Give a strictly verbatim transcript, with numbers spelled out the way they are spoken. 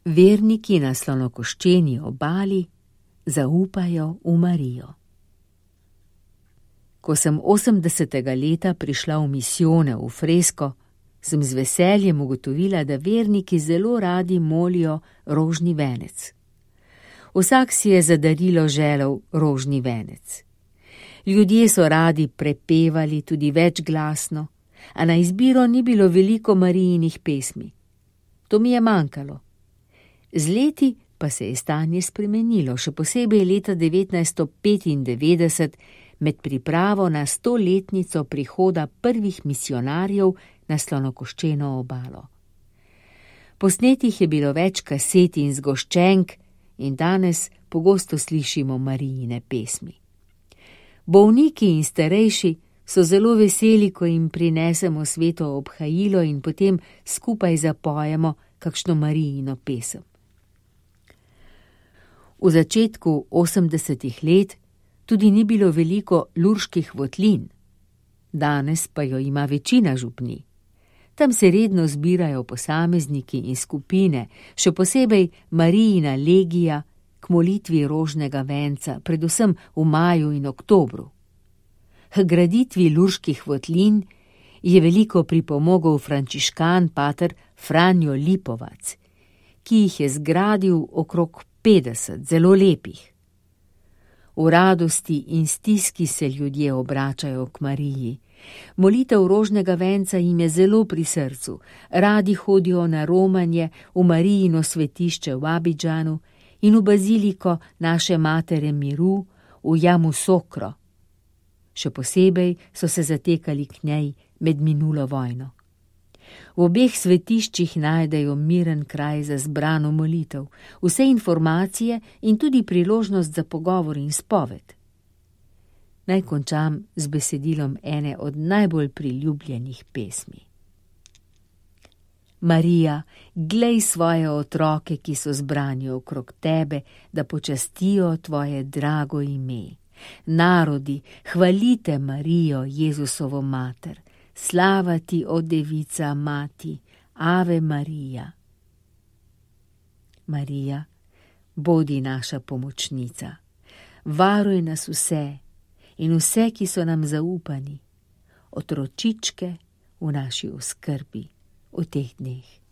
Verniki na Slonokoščeni obali zaupajo v Marijo. Ko sem osemdesetega leta prišla v misijone v Fresko, sem z veseljem ugotovila, da verniki zelo radi molijo rožni venec. Vsak si je za darilo želel rožni venec. Ljudje so radi prepevali tudi večglasno, a na izbiro ni bilo veliko Marijinih pesmi. To mi je manjkalo. Z leti pa se je stanje spremenilo, še posebej leta devetnajststo petindevetdeset med pripravo na stoletnico prihoda prvih misijonarjev na Slonokoščeno obalo. Posnetih je bilo več kaset in zgoščenk in danes pogosto slišimo Marijine pesmi. Bolniki in starejši so zelo veseli, ko jim prinesemo sveto obhajilo in potem skupaj zapojemo kakšno Marijino pesem. V začetku osemdesetih let tudi ni bilo veliko lurških votlin, danes pa jo ima večina župnij. Tam se redno zbirajo posamezniki in skupine, še posebej Marijina legija k molitvi rožnega venca, predvsem v maju in oktobru. K graditvi lurških votlin je veliko pripomogel frančiškan pater Franjo Lipovac, ki jih je zgradil okrog petdeset, zelo lepih. V radosti in stiski se ljudje obračajo k Mariji. Molitev rožnega venca jim je zelo pri srcu, radi hodijo na romanje v Marijino svetišče v Abidžanu in v baziliko naše Matere miru v Yamoussoukro. Še posebej so se zatekali k njej med minulo vojno. V obeh svetiščih najdejo miren kraj za zbrano molitev, vse informacije in tudi priložnost za pogovor in spoved. Naj končam z besedilom ene od najbolj priljubljenih pesmi. Marija, glej svoje otroke, ki so zbrani okrog tebe, da počastijo tvoje drago ime. Narodi, hvalite Marijo, Jezusovo mater. Slava ti, o devica mati, Ave Marija. Marija, bodi naša pomočnica, varuj nas vse in vse, ki so nam zaupani, otročičke v naši oskrbi v teh dneh.